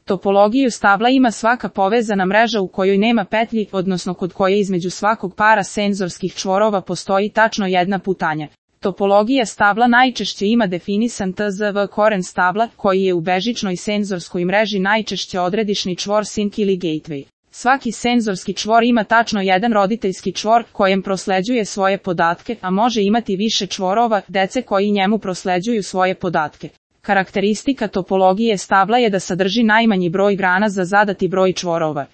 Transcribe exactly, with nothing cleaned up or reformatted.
Topologiju stabla ima svaka povezana mreža u kojoj nema petlji, odnosno kod koje između svakog para senzorskih čvorova postoji tačno jedna putanja. Topologija stabla najčešće ima definisan T Z V koren stabla, koji je u bežičnoj senzorskoj mreži najčešće odredišni čvor sink ili gateway. Svaki senzorski čvor ima tačno jedan roditeljski čvor, kojem prosleđuje svoje podatke, a može imati više čvorova, dece koji njemu prosleđuju svoje podatke. Karakteristika topologije stabla je da sadrži najmanji broj grana za zadati broj čvorova.